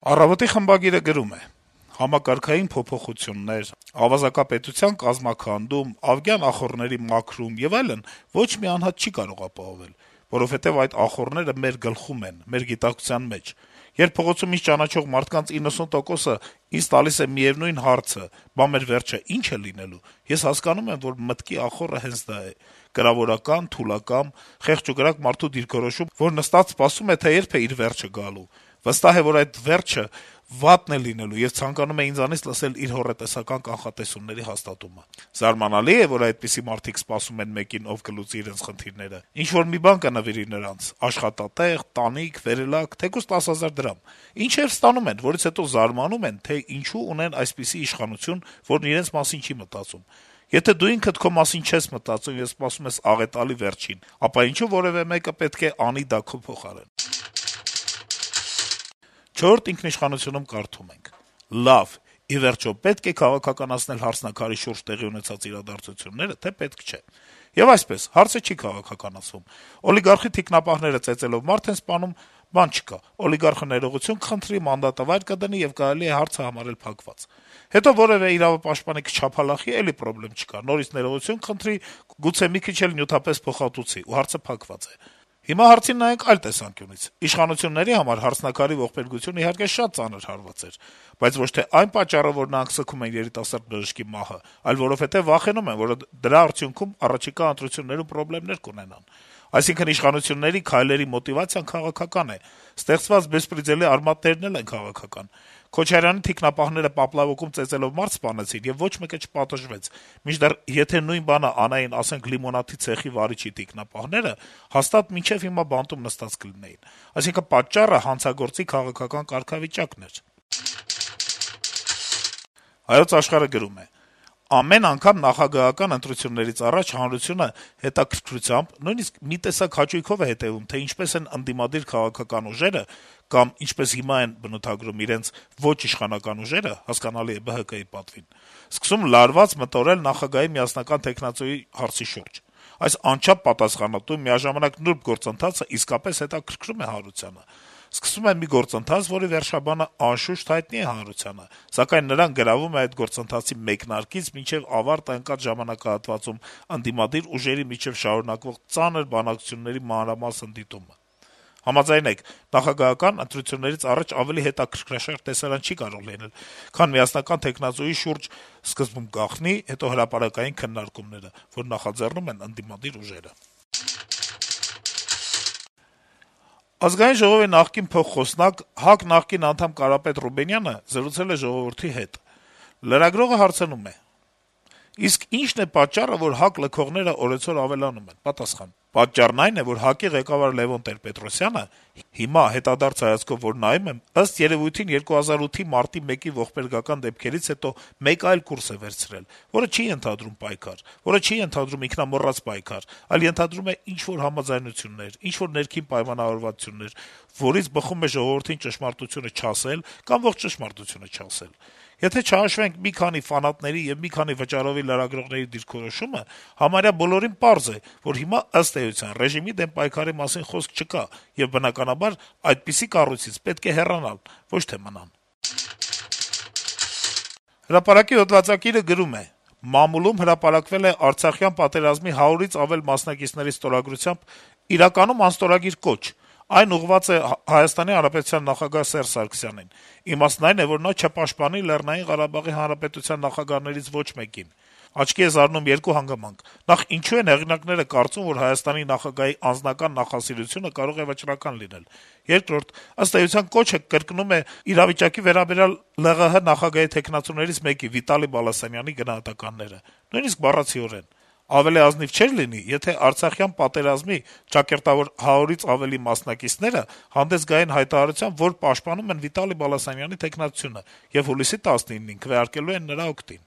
«Առավոտ»-ի խմբագիրը գրում է. - «Համակարգային փոփոխություններ, ավազակապետության կազմաքանդում, ԱՎԳյան ախոռների մաքրում եւ այլն ոչ մի անհատ չի կարող ապահովել, որովհետեւ այդ ախոռները մեր գլխում են, մեր գիտակցության մեջ: Երբ փողոցում ինձ ճանաչող մարդկանց 90%-ը ինձ տալիս է միեւնույն հարցը՝ «Բա մեր վերջը ի՞նչ է լինելու», ես հասկանում եմ, որ մտքի ախոռը հենց դա է՝ կրավորական, թուլակամ, խեղճ ու կրակ մարդու դիրքորոշում, որ նստած սպասում է, թե երբ է իր վերջը գալու, վստահ է, որ այդ վերջը վատն է լինելու եւ ցանկանում է ինձանից լսել իր հոռետեսական կանխատեսումների հաստատումը: Զարմանալի է, որ այդպիսի մարդիկ սպասում են մեկին, ով կլուծի իրենց խնդիրները, ինչ-որ մի բան կնվիրի նրանց՝ աշխատատեղ, տանիք, վերելակ, թեկուզ 10 000 դրամ, ինչեւ ստանում են, որից հետո զարմանում են, թե ինչու ունեն այսպիսի իշխանություն, որն իրենց մասին չի մտածում: Եթե դու ինքդ քո մասին չես մտածում եւ սպասում ես աղետալի վերջին, ապա ինչո՞ւ որեւէ մեկը պետք է անի դա քո փոխարեն»: «Չորրորդ ինքնիշխանություն»-ում կարդում ենք. - «Լավ, ի վերջո, պետք է քաղաքականացնել «Հարսնաքար»-ի շուրջ տեղի ունեցած իրադարձությունները, թե պետք չէ: Եվ այսպես, հարցը չի քաղաքականացվում: Օլիգարխի թիկնապահները ծեծելով մարդ են սպանում, բան չկա, օլիգարխը ներողություն կխնդրի, մանդատը վայր կդնի, եւ կարելի է հարցը համարել փակված: Հետո որեւէ իրավապաշտպանի կչափալախի, էլի պրոբլեմ չկա, նորից ներողություն կխնդրի, գուցե մի քիչ էլ նյութապես փոխհատուցի, ու հարցը փակված է: Հիմա հարցին նայենք այլ տեսանկյունից: Իշխանությունների համար «Հարսնաքար»-ի ողբերգությունը իհարկե շատ ծանր հարված էր, բայց ոչ թե այն պատճառով, որ նրանք սգում են երիտասարդ բժշկի մահը, այլ որովհետեւ վախենում են, որ դրա արդյունքում առաջիկա ընտրություններում պրոբլեմներ կունենան: Այսինքն իշխանությունների քայլերի մոտիվացիան քաղաքական է, ստեղծված բեսպրեդելի արմատներն էլ են քաղաքական: Քոչարյանի թիկնապահները Պապլավոկում ծեծելով մարդ սպանեցին, եւ ոչ մեկը չպատժվեց, մինչդեռ եթե նույն բանը անեին, ասենք, լիմոնադի ցեխի վարիչի թիկնապահները, հաստատ մինչեւ հիմա բանտում նստած կլինեին: Այսինքն պատճառը հանցագործի քաղաքական կարգավիճակն էր»: «Հայոց Աշխարհ»-ը գրում է. - «Ամեն անգամ նախագահական ընտրություններից առաջ հանրությունը հետաքրքրությամբ, նույնիսկ մի տեսակ հաճույքով է հետեւում, թե ինչպես են ընդդիմադիր քաղաքական ուժերը կամ, ինչպես հիմա են բնութագրում իրենց, ոչ իշխանական ուժերը, հասկանալի է ԲՀԿ-ի պատվին, սկսում լարված մտորել նախագահի միասնական թեկնածուի հարցի շուրջ: Այս անչափ պատասխանատու, միաժամանակ նուրբ գործընթացը իսկապես հետաքրքրում է հանրությանը: Սկսվում է մի գործընթաց, որի վերջաբանը անշուշտ հայտնի է հանրությանը, սակայն նրան գրավում է այդ գործընթացի մեկնարկից մինչեւ ավարտը ընկած ժամանակահատվածում ընդդիմադիր ուժերի միջեւ շարունակվող ծանր բանակցությունների մանրամասն դիտումը: Համաձայնեք, նախագահական ընտրություններից առաջ ավելի հետաքրքրաշարժ տեսարան չի կարող լինել, քան միասնական թեկնածուի շուրջ սկզբում գաղտնի, հետո հրապարակային քննարկումները, որ նախաձեռնում են ընդդիմադիր ուժերը»: Ազգային ժողովի նախկին փոխխոսնակ, ՀԱԿ նախկին անդամ Կարապետ Ռուբենյանը զրուցել է «Ժողովուրդ»-ի հետ: Լրագրողը հարցնում է. - «Իսկ ի՞նչն է պատճառը, որ ՀԱԿ լքողները օրեցօր ավելանում են»: Պատասխան. - «Պատճառն այն է, որ ՀԱԿ-ի ղեկավար Լեւոն Տեր-Պետրոսյանը հիմա, հետադարձ հայացքով որ նայում եմ, ըստ երեւույթին 2008-ի մարտի 1-ի ողբերգական դեպքերից հետո մեկ այլ կուրս է վերցրել, որը չի ենթադրում պայքար, որը չի ենթադրում ինքնամոռաց պայքար, այլ ենթադրում է ինչ-որ համաձայնություններ, ինչ-որ ներքին պայմանավորվածություններ, որից բխում է ժողովրդին ճշմարտությունը չասել կամ ողջ ճշմարտությունը չասել: Եթե չհաշվենք մի քանի ֆանատների եւ մի քանի վճարովի լրագրողների դիրքորոշումը, համարյա բոլորին պարզ է, որ հիմա, ըստ էության, ռեժիմի դեմ պայքարի մասին խոսք չկա, եւ բնականաբար այդպիսի կառույցից պետք է հեռանալ, ոչ թե մնալ»: «Հրապարակ»-ի հոդվածագիրը գրում է. - «Մամուլում հրապարակվել է Արցախյան պատերազմի 100-ից ավել մասնակիցների ստորագրությամբ իրականում անստորագիր կոչ: Այն ուղղված է ՀՀ նախագահ Սերժ Սարգսյանին: Իմաստն այն է, որ նա չպաշտպանի ԼՂՀ նախագահներից ոչ մեկին: Աչքի է զարնում երկու հանգամանք. նախ` ինչու են հեղինակները կարծում, որ Հայաստանի նախագահի անձնական նախասիրությունը կարող է վճռական լինել: Երկրորդ` ըստ էության, կոչը կրկնում է իրավիճակի վերաբերյալ ԼՂՀ նախագահի թեկնածուներից մեկի` Վիտալի Բալասանյանի գնահատականները: Նույնիսկ բառացիորեն: Ավելի ազնիվ չէր լինի, եթե արցախյան պատերազմի ճակերտավոր 100-ից ավելի մասնակիցները հանդես գային հայտարարությամբ, որ պաշտպանում են Վիտալի Բալասանյանի թեկնածությունը եւ հուլիսի 19-ին քվեարկելու են նրա օգտին»: